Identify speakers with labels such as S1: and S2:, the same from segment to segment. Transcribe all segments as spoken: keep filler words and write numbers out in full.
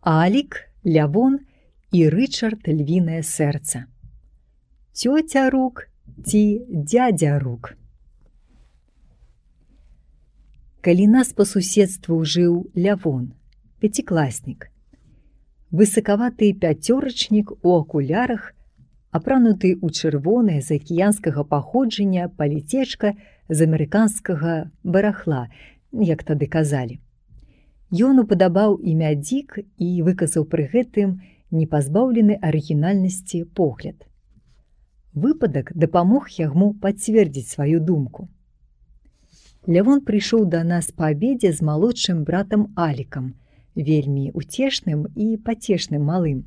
S1: Алік, Лявон і Рычард львінае сэрца. Цёця Рук ці дядзя Рук. Калі нас па суседству жыў Лявон, пяцікласнік, высакаваты пяцёрачнік у акулярах, апрануты ў чырвонае з акіянскага паходжання паліцечка з амерыканскага барахла, як тады казалі. Ён упадабаў імя Дзік і выказаў пры гэтым непазбаўлены арыгінальнасці погляд. Выпадак дапамог яму пацвердзіць сваю думку. Лявон прыйшоў да нас па абедзе з малодшым братам Алікам, вельмі уцешным і пацешным малым.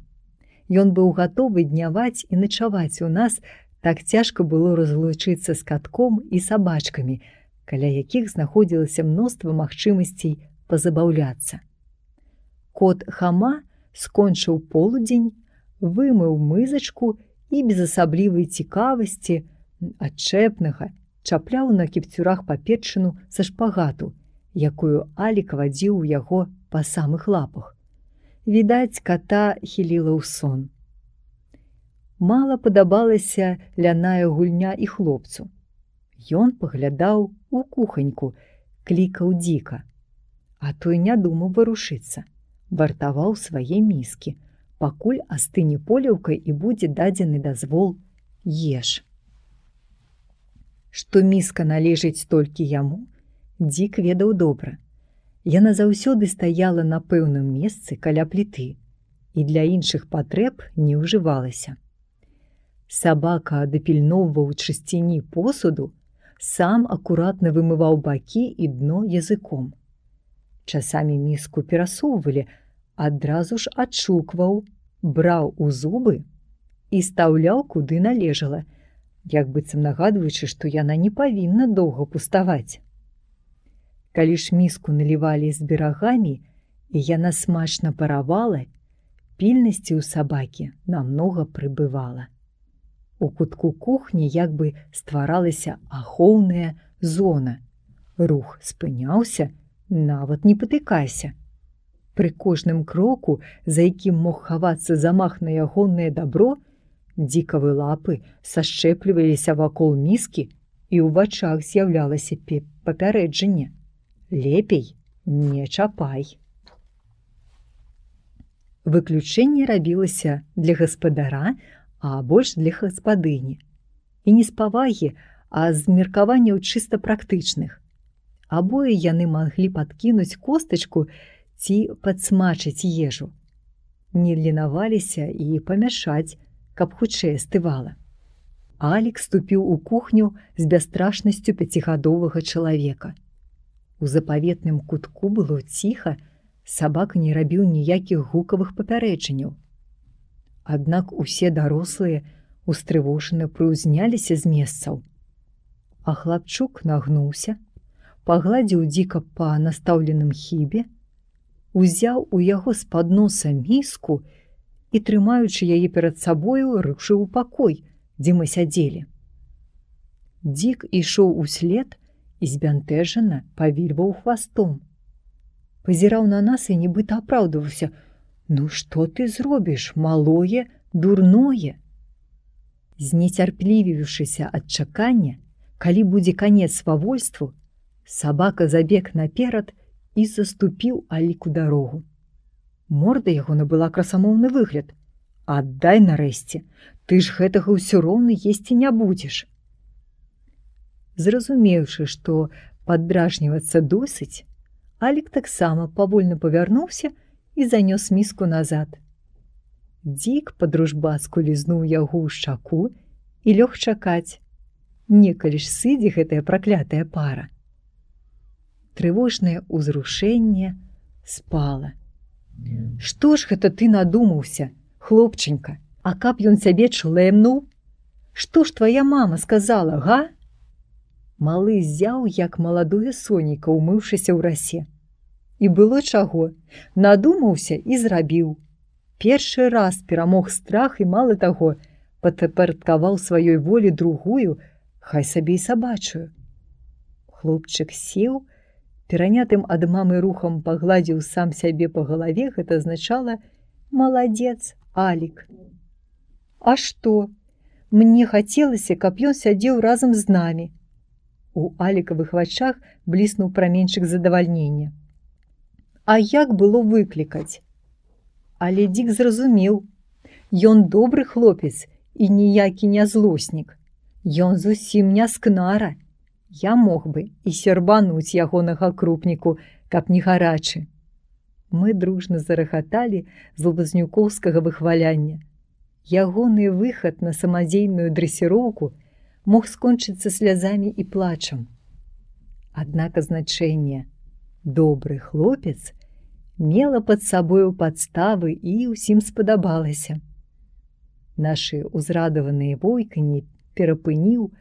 S1: Ён быў гатовы дняваць і начаваць у нас, так цяжка было разлучыцца з катком і сабачкамі, каля якіх знаходзілася мноства магчымасцей пазабаўляцца. Кот Хама скончыў полудзень, вымыў мызачку і без асаблівай цікавасці, адчэпнага, чапляў на кіпцюрах паперчыну са шпагату, якую Алік вадзіў у яго па самых лапах. Відаць, ката хіліла ў сон. Мала падабалася ляная гульня і хлопцу. Ён паглядаў у куханьку, клікаў Дзіка, а той не думаў варушыцца, вартаваў свае міскі, пакуль астыне поліўкай і будзе дадзены дазвол еш. Што міска належыць толькі яму, Дзік ведаў добра. Яна заўсёды стаяла на пэўным месцы каля пліты і для іншых патрэб не ўжывалася. Сабака дапільноўваў чысціні посуду, сам акуратна вымываў бакі і дно языком. Часамі міску перасоўвалі, адразу ж адшукваў, браў у зубы і стаўляў куды належала, як быццам нагадваючы, што яна не павінна доўга пуставаць. Калі ж міску налівалі з берагамі, і яна смачна паравала, пільнасці ў сабакі намнога прыбывала. У кутку кухні як бы стваралася ахоўная зона. Рух спыняўся, нават не патыкайся. Пры кожным кроку, за якім мог хавацца замах на ягонае дабро, дзікавы лапы сашчэпліваліся вакол міскі і ў вачах з'яўлялася папярэджанне. Лепей не чапай. Выключэнне рабілася для гаспадара, а больш для гаспадыні. І не з павагі, а з меркаванняў чыста практычных. Абое яны маглі падкінуць костачку ці падсмачыць ежу. Не ленаваліся і памяшаць, каб хутчэй астывала. Алік ступіў у кухню з бясстрашнасцю пяцігадовага чалавека. У запаветным кутку было ціха, сабака не рабіў ніякіх гукавых папярэджанняў. Аднак усе дарослыя устрывожана прыўзняліся з месцаў. А хлапчук нагнуўся, пагладзіў Дзіка па настаўленым хібе, узяў у яго з-пад носа міску і, трымаючы яе перад сабою, рушыў у пакой, дзе мы сядзелі. Дзік ішоў услед і збянтэжана павільваў хвастом. Пазіраў на нас і нібыта апраўдваўся: «Ну што ты зробіш, малое, дурное?» Знецярплівіўшыся ад чакання, калі будзе канец свавольству, сабака забег наперад і заступіў Аліку дарогу. Морда яго набыла красамоўны выгляд. «Аддай нарэшце, ты ж гэтага ўсё роўна есці не будзеш». Зразумеўшы, што паддражнівацца досыць, Алік таксама павольна павярнуўся і занёс міску назад. Дзік па-дружбацку лізнуў яго ў шчаку і лёг чакаць, некалі ж сыдзе гэтая праклятая пара. Трывожнае ўзрушэнне спала. «Што ж гэта ты надумаўся, хлопчанька, а каб ён цябе члэмнуў? Што ж твая мама сказала, га?» Малы зяў, як маладое сонейка, умыўшыся ў расе. І было чаго, надумаўся і зрабіў. Першы раз перамог страх і, мала таго, падпарадкаваў сваёй волі другую, хай сабе і сабачую. Хлопчык сеў, Перанятым ад мамы рухам пагладзіў сам сябе па галаве, гэта азначала: «Маладзец, Алік». А што? Мне хацелася, каб ён сядзеў разам з намі. У Алікавых вачах бліснуў праменьчык задавальнення. А як было выклікаць? Але Дік зразумеў. Ён добры хлопец і ніякі не злоснік. Ён зусім не скнара. Я мог бы і сербануць ягонага крупніку, каб не гарачы. Мы дружна зарагаталі з лабазнюкоўскага выхваляння. Ягоны выхад на самадзейную дрэсіроўку мог скончыцца слязамі і плачам. Аднак азначэнне «добры хлопец» мела пад сабою падставы і ўсім спадабалася. Нашы ўзрадаваныя войканні перапыніў,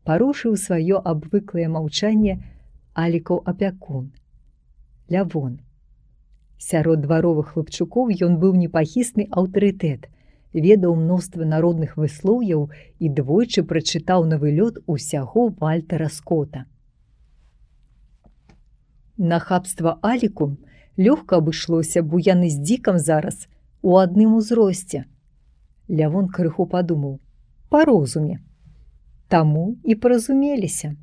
S1: парушыў сваё абвыклае маўчанне Алікаў апякун. Лявон. Сярод дваровых хлапчукоў ён быў непахісны аўтарытэт, ведаў мноства народных выслоўяў і двойчы прачытаў на вылёт усяго Вальтера Скотта. Нахабства Аліку лёгка абышлося, бо яны з Дікам зараз у адным узросце. Лявон крыху падумаў: па розуме. Таму і паразумеліся.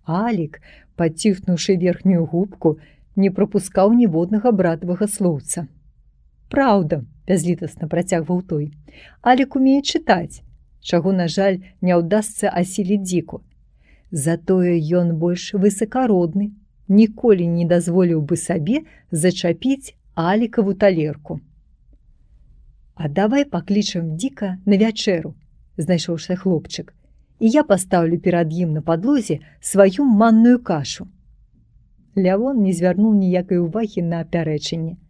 S1: Алік, паціхнуўшы верхнюю губку, не прапускаў ніводнага братавага слоўца. Праўда, бязлітасна працягваў той, Алік умее чытаць, чаго, на жаль, не ўдасца асіліць Дзіку. Затое ён больш высакародны, ніколі не дазволіў бы сабе зачапіць Алікаву талерку. А давай паклічам Дзіка на вячэру, знайшоўся хлопчык, і я пастаўлю перад ім на падлозе сваю манную кашу. Лявон не звярнуў ніякай увагі на пярэчанне.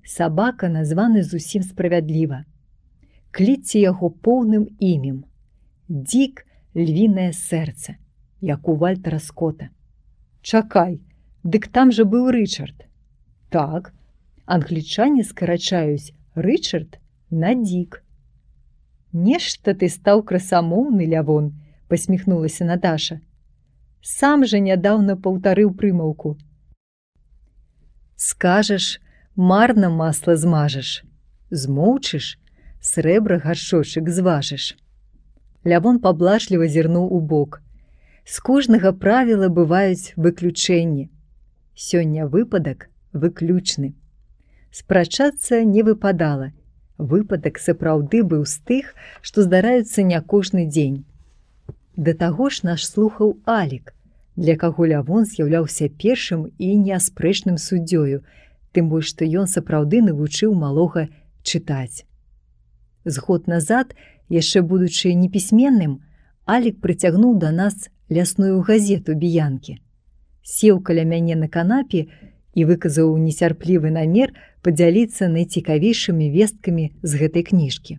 S1: Сабака названы зусім справядліва. Кліце яго поўным імем. Дзік — львінае сэрца, як у Вальтера Скотта. Чакай, дык там жа быў Рычард. Так, англічане скарачаюць Рычард на Дзік. Нешта ты стаў красамоўны, Лявон, пасміхнулася Наташа. Сам жа нядаўна паўтарыў прымаўку. Скажаш, марна масла змажаш. Змоўчыш, срэбра гаршочак зважыш. Лявон паблажліва зірнуў у бок. З кожнага правіла бываюць выключэнні. Сёння выпадак выключны. Спрачацца не выпадала. Выпадак сапраўды быў з тых, што здараюцца не кожны дзень. Да таго ж наш слухаў Алік, для каго Лявон з'яўляўся першым і неаспрэчным суддзёю, тым больш, што ён сапраўды навучыў малога чытаць. З год назад, яшчэ будучы непісьменным, Алік прыцягнуў да нас лясную газету «Біянкі». Сеў каля мяне на канапе і выказаў нецярплівы намер падзяліцца найцікавейшымі весткамі з гэтай кніжкі.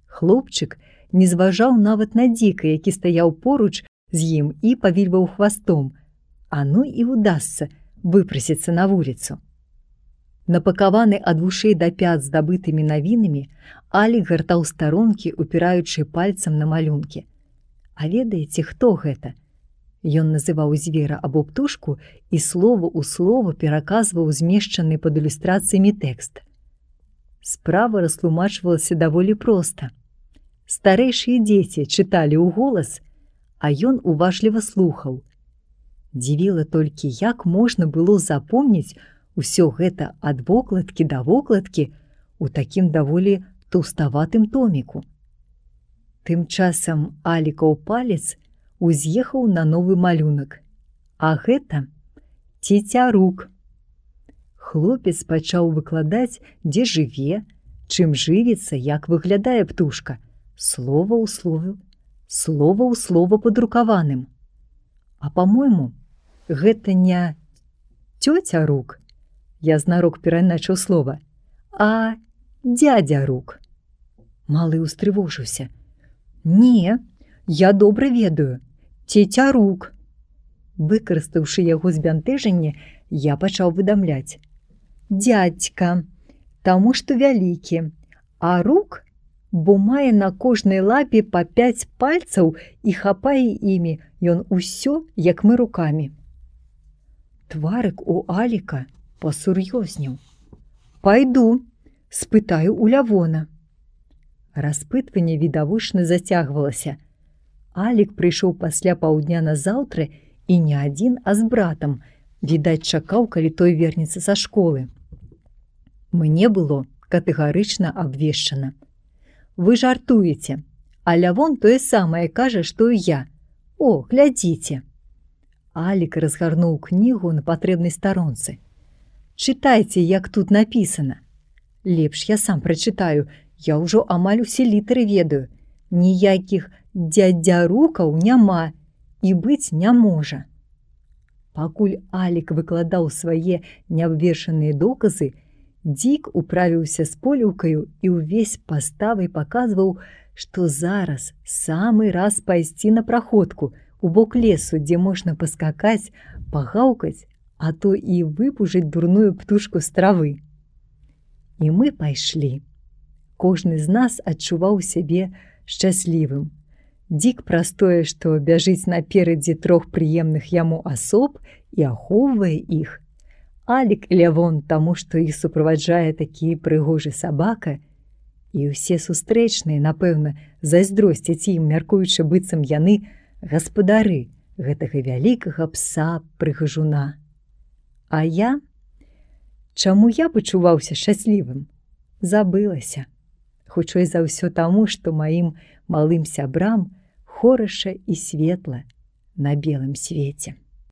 S1: Хлопчык не зважаў нават на Дзіка, які стаяў поруч з ім і павільваў хвастом, а ну і ўдасца выпрасіцца на вуліцу. Напакаваны ад вушэй да пят здабытымі навінамі, Алік гартаў старонкі, упіраючы пальцам на малюнкі. А ведаеце, хто гэта? Ён называў звера або птушку і слова ў слова пераказваў змешчаны пад ілюстрацыямі тэкст. Справа растлумачвалася даволі проста. Старэйшыя дзеці чыталі ў голас, а ён уважліва слухаў. Дзівіла толькі, як можна было запомніць усё гэта ад вокладкі да вокладкі у такім даволі таўставатым томіку. Тым часам Алікаў палец уз'ехаў на новы малюнак. А гэта цецярук. Хлопец пачаў выкладаць, дзе жыве, чым жывіцца, як выглядае птушка. Слова ў слове, слова ў слова падрукаваным. А па-мойму, гэта не цёця-рук, я знарок пераначаў слова, а дзядзя-рук. Малы ўстрывожыўся. Не, я добра ведаю. Цецярук. Выкарыстаўшы яго збянтэжанне, я пачаў выдамляць. Дзядзька, таму што вялікі, а рук, бо мае на кожнай лапе па пяць пальцаў і хапае імі ён усё, як мы рукамі. Тварык у Аліка пасур'ёзнеў. «Пайду, спытаю у Лявона». Распытванне відавочна зацягвалася. Алік прыйшоў пасля паўдня назаўтра і не адзін, а з братам, відаць, чакаў, калі той вернецца са школы. Мне было катэгарычна абвешчана: «Вы жартуеце, а Лявон тое самае кажа, што і я. О, глядзіце». Алік разгарнуў кнігу на патрэбнай старонцы. «Чытайце, як тут напісана». «Лепш я сам прачытаю, я ўжо амаль усе літары ведаю. Ніякіх дзядзярукаў няма і быць не можа». Пакуль Алік выкладаў свае неабвешаныя доказы, Дзік управіўся з поліўкаю і ўвесь паставай паказваў, што зараз самы раз пайсці на праходку у бок лесу, дзе можна паскакаць, пагаўкаць, а то і выпужыць дурную птушку з травы. І мы пайшлі. Кожны з нас адчуваў сябе шчаслівым. Дзік праз тое, што бяжыць наперадзе трох прыемных яму асоб і ахоўвае іх. Алік і Лявон таму, што іх суправаджае такі прыгожы сабака, і ўсе сустрэчныя, напэўна, зайздросцяць ім, мяркуючы, быццам яны гаспадары гэтага вялікага пса-прыгажуна. А я? Чаму я пачуваўся шчаслівым? Забылася. Хутчэй за ўсё таму, што маім малым сябрам хораша і светла на белым свеце.